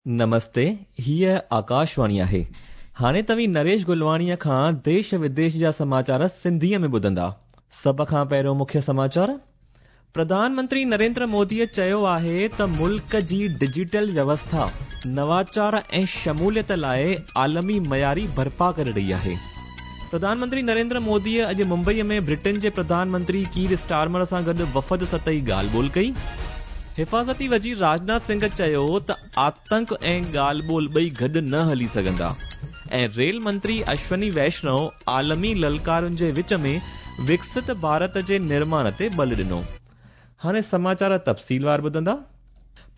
نمستي، هيء آڪاشواڻي آهي. هاڻي توهين نريش گلواڻيء کان ديش وديش جا سماچار سنڌيء ۾ ٻڌندا. سڀ کان پهريون مکيه سماچار. پرڌان منتري نريندر موديء چيو آهي ته ملڪ جي ڊجيٽل ويوسٿا نواچار ۽ شموليت لاء عالمي معياري برپا ڪري رهي آهي. پرڌان منتري نريندر موديء اڄ ممبئيء ۾ برٽن جي پرڌان منتري ڪير اسٽارمر سان گڏ وفد سطحي ڳالهه ٻولهه ڪئي. حفاظتي وزير راجناٿ سنگهه چيو ته آتنڪ ۽ ڳالهه ٻولهه ٻئي گڏ نه هلي سگهندا ۽ ريل منتري اشوني ويشنو عالمي للڪارن جي وچ ۾ وڪست ڀارت جي نرماڻ تي ٻل ڏنو. هاڻي سماچار تفصيلوار ٻڌندا.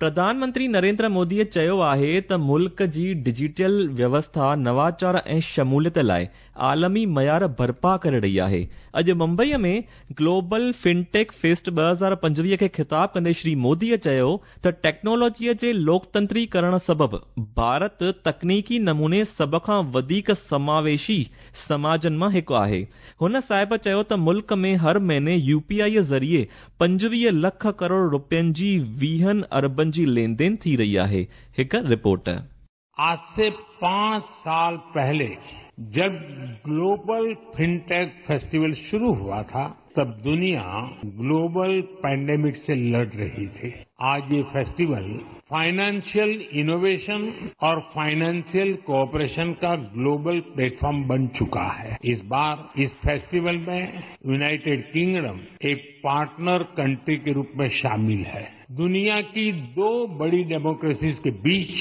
پرڌان منتري نريندر موديء چيو آهي ته ملڪ جي ڊجيٽل ويوسٿا نواچار ۽ شموليت لاء عالمي معيار برپا ڪري رهي آهي. اڄ ممبئيء ۾ گلوبل فنٽيڪ فيسٽ 2025 کي خطاب ڪندي شري موديء چيو ته ٽيڪنالاجيء جي لوڪتنتري ڪرڻ سبب ڀارت تڪنيڪي نموني سڀ کان وڌيڪ سماويشي سماجن مان هڪ آهي. هن صاحب چيو ته ملڪ ۾ هر مهيني يو پي آء ذريعي 25 لک ڪروڙ رپين جي ويهن اربن جي لين دين ٿي رهي آهي. هڪ رپورٽ. आज से पांच साल पहले जब ग्लोबल फिनटेक फेस्टिवल शुरू हुआ था तब दुनिया ग्लोबल पैंडेमिक से लड़ रही थी। आज ये फेस्टिवल फाइनेंशियल इनोवेशन और फाइनेंशियल कोऑपरेशन का ग्लोबल प्लेटफॉर्म बन चुका है। इस बार इस फेस्टिवल में यूनाइटेड किंगडम एक पार्टनर कंट्री के रूप में शामिल है। दुनिया की दो बड़ी डेमोक्रेसीज के बीच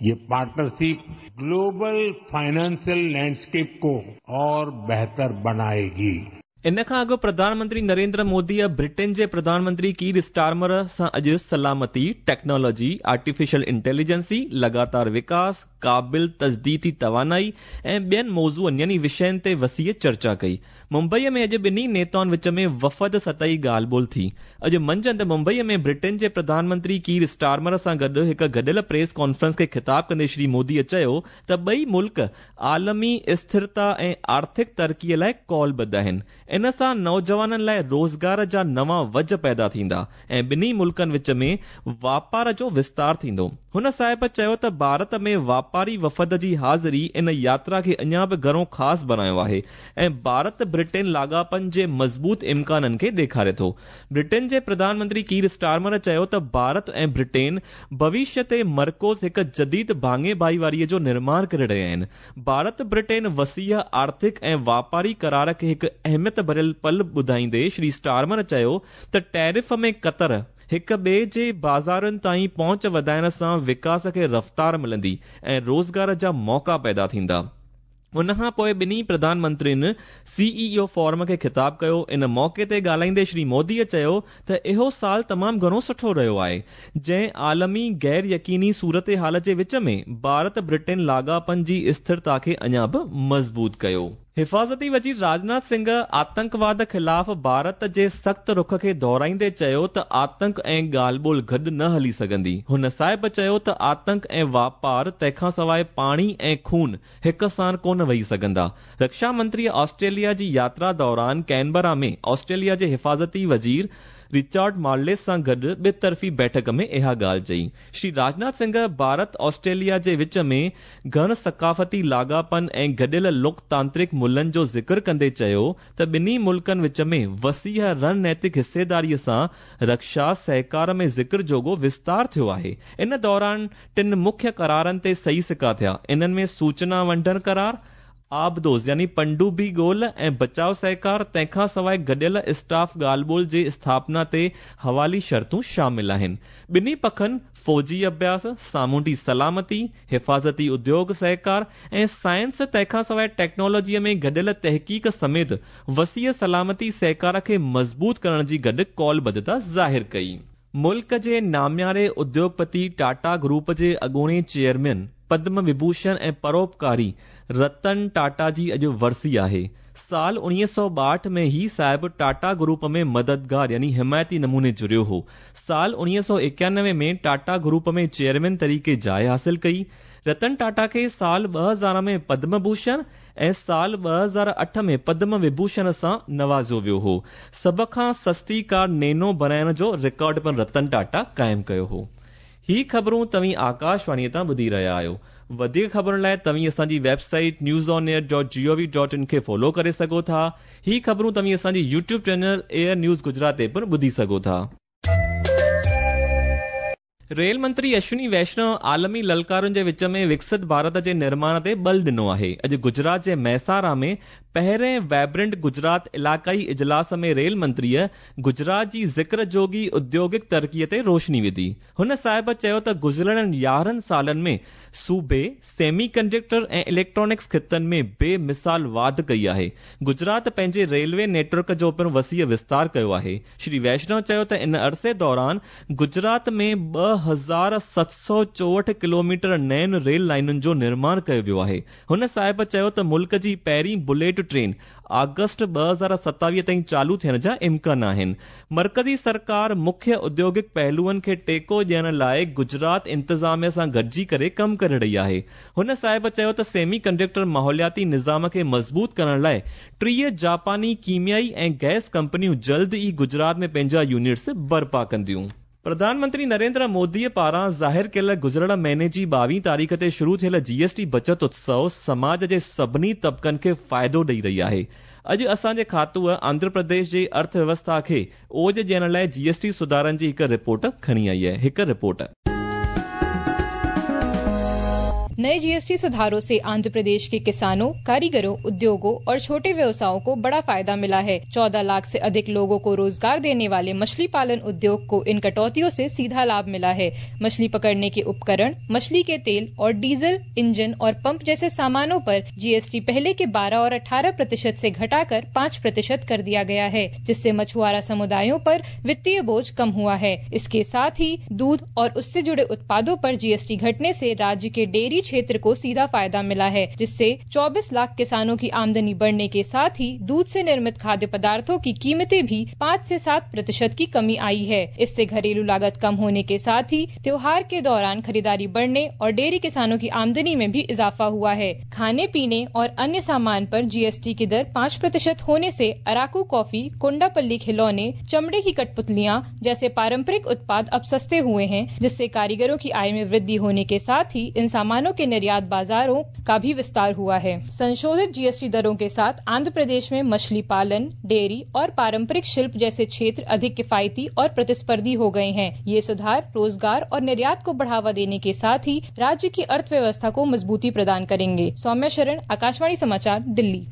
ये पार्टनरशिप ग्लोबल फाइनेंशियल लैंडस्केप को और बेहतर बनाएगी। ان کان اڳ پرڌان منتري نريندر موديء برٽن جي پرڌان منتري ڪير اسٽارمر سان اڄ سلامتي، ٽيڪنالاجي، آرٽيفيشل انٽيليجنسي، لڳاتار وڪاس، قابل تجديدي توانائي ۽ ٻين موضوعن يعني وشين تي وسيع چرچا ڪئي. ممبئيء ۾ اڄ ٻنهي نيتائن وچ ۾ وفد سطحي ڳالهه ٻولهه ٿي. اڄ منجهند ممبئيء ۾ برٽن جي پرڌان منتري ڪير اسٽارمر سان گڏ هڪ گڏيل پريس ڪانفرنس کي خطاب ڪندي شري موديء چيو ته ٻئي ملڪ عالمي اسٿرتا ۽ آرٿڪ ترقيء لاء قولبڌ آهن، ان سان نوجوانن لاء روزگار جا نوان وجهه پيدا ٿيندا ۽ ٻنهي ملڪن وچ ۾ واپار جو وستار ٿيندو. هن صاحب چيو ته ڀارت ۾ واپاري وفد جي حاضري ان ياترا کي اڃا به گهڻو خاص بڻايو آهي ۽ ڀارت برٽين لاڳاپن جي مضبوط امڪانن کي ڏيکاري ٿو. برٽين جي پرڌان منتري ڪير اسٽارمر چيو ته ڀارت ۽ برٽين ڀوشيه تي مرڪوز هڪ جديد ڀاڱي ڀائيواري جو نرماڻ ڪري رهيا آهن. ڀارت برٽين وسيع آرٿڪ ۽ واپاري قرار کي هڪ اهميت ڀريل پل ٻڌائيندي شري اسٽارمر چيو ته ٽيرف ۾ ڪتر هڪ ٻئي جي بازارن تائين پهچ وڌائڻ سان وڪاس کي رفتار ملندي ۽ روزگار جا موقعا پيدا ٿيندا. ان کان پوء ٻنهي پرڌان منترين سي اي او فورم کي خطاب ڪيو. ان موقعي تي ڳالهائيندي شري موديء چيو ته اهو سال تمام گهڻو سٺو رهيو آهي، جنهن عالمي غير يقيني صورتحال جي وچ ۾ ڀارت برٽين لاڳاپن جي اسٿرتا کي اڃا به مضبوط ڪيو. حفاظتي وزير راجناٿ سنگهه آتنڪواد خلاف ڀارت جي سخت رخ کي دهرائيندي چيو ته آتنڪ ۽ ڳالهه ٻولهه گڏ نه هلي سگهندي. هن صاحب چيو ته آتنڪ ۽ واپار تنهن کان سواء پاڻي ۽ خون هڪ ساڻ ڪونه وهي سگهندا. رڪشا منتريء آسٽريليا جي ياترا دوران ڪينبرا ۾ آسٽريليا جي حفاظتي وزير رچرڊ مارليس سان گڏ ٻطرفي بيٺڪ ۾ اها ڳالهه چئي. شري راجناٿ سنگهه ڀارت آسٽريليا جي وچ ۾ گهڻ ثقافتي لاڳاپن ۽ گڏيل لوڪتانترڪ ملهن جو ذڪر ڪندي چيو ته ٻنهي ملڪن وچ ۾ وسيع رڻنيتڪ حصيداري سان رڪشا سهڪار ۾ ذڪر جوڳو وستار ٿيو آهي. ان دوران ٽن مکيه قرارن تي صحيح سڪا ٿيا. انهن ۾ سوچنا ونڊڻ قرار، آبدوز يعني پنڊوبي ڳولهه ۽ بچاء سهڪار، تنهن کان سواء گڏيل اسٽاف ڳالهه ٻولهه جي اسٿاپنا تي حوالي شرطون شامل آهن. ٻنهي پکن فوجي اڀياس، سامونڊي سلامتي، حفاظتي اديوگ سهڪار ۽ سائنس تنهن کان سواء ٽيڪنالاجيء ۾ گڏيل تحقيق سميت وسيع سلامتي سهڪار کي مضبوط ڪرڻ جي گڏ قولبڌتا ظاهر ڪئي. ملڪ جي نامياري اديوگپتي ٽاٽا گروپ جي اڳوڻي چيئرمين پدم وڀوشڻ ۽ پروپڪاري رتن ٽاٽا جي اڄ ورسي آهي. سال 1962 ۾ هي صاحب ٽاٽا گروپ ۾ مددگار يعني حمايتي نموني جڙيو هو. سال 1991 ۾ ٽاٽا گروپ ۾ چيئرمين طريقي جاء حاصل ڪئي. رتن ٽاٽا کي سال 2000 ۾ پدم ڀوشڻ ۽ سال 2008 ۾ پدم وڀوشڻ سان نوازيو ويو هو. سڀ کان سستي ڪار نينو بڻائڻ جو رڪارڊ پڻ رتن ٽاٽا قائم ڪيو هو. هي خبرون توهين آڪاشواڻيء تان ٻڌي رهيا آهيو. وڌيڪ خبرن لاء توهين اسان جي website news on air dot G O V dot in کي فالو ڪري سگهو ٿا. هي خبرون توهين اسان جي YouTube channel AIR news Gujarat تي پڻ ٻڌي سگهو ٿا. ريل منتري اشوني ويشنو عالمي للڪارن جي وچ ۾ وڪست ڀارت جي نرماڻ تي ٻل ڏنو آهي. اڄ گجرات جي مهسارا ۾ پهرين وائبرنٽ گجرات علائقائي اجلاس ۾ ريل منتريء گجرات جي ذڪر جوڳي اديوگڪ ترقيء تي روشني وڌي. هن صاحب چيو ته گذريل 11 سالن ۾ صوبي سيمي ڪنڊڪٽر ۽ اليڪٽرانڪس خطن ۾ بي مثال واڌ ڪئي آهي. گجرات پنهنجي ريلوي نيٽ ورڪ جو پڻ وسيع وستار ڪيو آهي. شري ويشنو چيو ته ان عرصي دوران گجرات ۾ 2764 ڪلوميٽر نين ريل لائينن جو نرماڻ ڪيو ويو آهي. هن صاحب چيو ته ملڪ جي پهرين بليٽ ٽرين آگسٽ 2027 تائين چالو ٿيڻ جا امڪان آهن. مرڪزي سرڪار مکيه اديوگڪ پهلوئن کي ٽيڪو ڏيڻ لاء گجرات انتظاميه سان گڏجي ڪري ڪم ڪري رهي آهي. هن صاحب چيو ته سيمي ڪنڊڪٽر ماحولياتي نظام کي مضبوط ڪرڻ لاء 30 جاپاني ڪيميائي ۽ گئس ڪمپنيون جلد ئي گجرات ۾ پنهنجا يونٽس برپا ڪنديون. پرڌان منتري نريندر موديء پاران ظاهر ڪيل گذريل مهيني جي 22 تاريخ تي شروع ٿيل جي ايس ٽي بچت اتسو سماج جي سڀني طبقن کي فائدو ڏئي رهي آهي. اڄ اسان جي کاتوء آنڌرا پرديش جي ارٿ ويوسٿا کي اوج ڏيڻ لاء جي ايس ٽي سڌارن جي هڪ رپورٽ کڻي آئي آهي. هڪ رپورٽ. नए जीएसटी सुधारों से आंध्र प्रदेश के किसानों, कारीगरों, उद्योगों और छोटे व्यवसायों को बड़ा फायदा मिला है। 14 लाख से अधिक लोगों को रोजगार देने वाले मछली पालन उद्योग को इन कटौतियों से सीधा लाभ मिला है। मछली पकड़ने के उपकरण, मछली के तेल और डीजल, इंजन और पंप जैसे सामानों पर जीएसटी पहले के 12 और 18% से घटाकर 5% कर दिया गया है, जिससे मछुआरा समुदायों पर वित्तीय बोझ कम हुआ है। इसके साथ ही दूध और उससे जुड़े उत्पादों पर जीएसटी घटने से राज्य के डेयरी क्षेत्र को सीधा फायदा मिला है, जिससे 24 लाख किसानों की आमदनी बढ़ने के साथ ही दूध से निर्मित खाद्य पदार्थों की कीमतें भी 5 से 7% की कमी आई है। इससे घरेलू लागत कम होने के साथ ही त्योहार के दौरान खरीदारी बढ़ने और डेयरी किसानों की आमदनी में भी इजाफा हुआ है। खाने पीने और अन्य सामान पर जीएसटी की दर 5% होने से अराकू कॉफी, कोंडापल्ली खिलौने, चमड़े की कठपुतलियां जैसे पारंपरिक उत्पाद अब सस्ते हुए हैं, जिससे कारीगरों की आय में वृद्धि होने के साथ ही इन सामानों के निर्यात बाजारों का भी विस्तार हुआ है। संशोधित जीएसटी दरों के साथ आंध्र प्रदेश में मछली पालन, डेयरी और पारंपरिक शिल्प जैसे क्षेत्र अधिक किफायती और प्रतिस्पर्धी हो गए हैं। ये सुधार रोजगार और निर्यात को बढ़ावा देने के साथ ही राज्य की अर्थव्यवस्था को मजबूती प्रदान करेंगे। सौम्या शरण, आकाशवाणी समाचार, दिल्ली।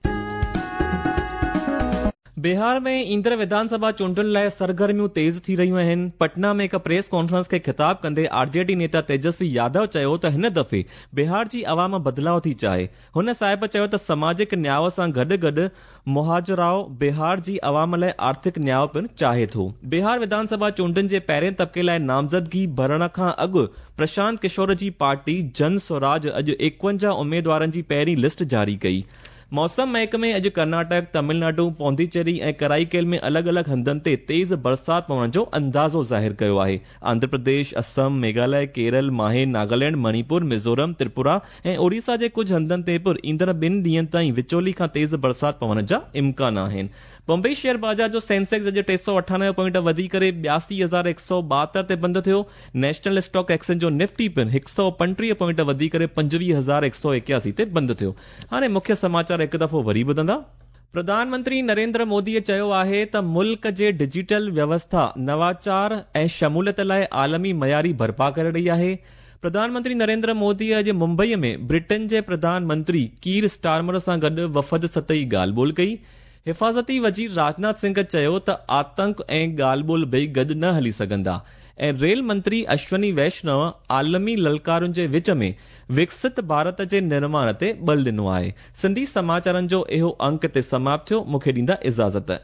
बिहार में ईंदड़ विधानसभा चूंडुनि लाइ सरगर्मियूं तेज़ थी रहियूं आहिनि। पटना में हिकु प्रेस कॉन्फ्रेंस खे ख़िताब कंदे आरजेडी नेता तेजस्वी यादव चयो त हिन दफ़े बिहार जी अवाम बदिलाव थी चाहे। हुन साहिब चयो त समाजिक न्याव सां गॾु गॾु मुहाजराव बिहार जी अवाम लाइ आर्थिक न्याव पिणु चाहे थो। बिहार विधानसभा चूंडुनि जे पहिरें तबिके लाइ नामज़दगी भरण खां अॻु प्रशांत किशोर जी पार्टी जन स्वराज अॼु 51 उमेदवारनि जी पहिरीं लिस्ट जारी कई। मौसम महकमे अॼु कर्नाटक, तमिलनाडु, पौंडीचेरी ऐं कराईकेल में अलॻि अलॻि हंधनि ते तेज़ बरसाति पवण जो अंदाज़ो ज़ाहिर कयो आहे। आंध्र प्रदेश, असम, मेघालय, केरल, माहे, नागालैंड, मणिपुर, मिज़ोरम, त्रिपुरा ऐं ओडिशा जे कुझु हंधनि ते पिणु ईंदड़ 2 ॾींहंनि ताईं विचोली खां तेज़ बरसाति पवण जा इम्कान आहिनि। बॉम्बे शेयर बाज़ार जो सेंसेक्स अॼु 398 पॉइंट वधी करे 82,172 ते बंदि थियो। नेशनल स्टॉक एक्सचेंज जो निफ्टी पिणु 135 पॉइंट वधी करे 25,181 ते बंदि थियो। हाणे मुख्य समाचार हिकु दफ़ो वरी ॿुधंदा। प्रधानमंत्री नरेंद्र मोदीअ चयो आहे त मुल्क जे डिजिटल व्यवस्था नवाचार ऐं शमूलियत लाइ आलमी मयारी बर्पा करे रही आहे। प्रधानमंत्री नरेंद्र मोदी अॼु मुंबईअ में ब्रिटेन जे प्रधानमंत्री कीर स्टारमर सां गॾु वफ़द सतही ॻाल्हि ॿोल कई। हिफाज़ती वज़ीर राजनाथ सिंह चयो त आतंक ऐं ॻाल्हि ॿोल ॿई गॾु न हली सघंदा ऐं रेल मंत्री अश्वनी वैष्णव आलमी ललकारुनि जे विच में विकसित भारत जे निर्माण ते बल ॾिनो आहे। सिंधी समाचारनि जो इहो अंक हिते समाप्त थियो। मूंखे ॾींदा इजाज़त।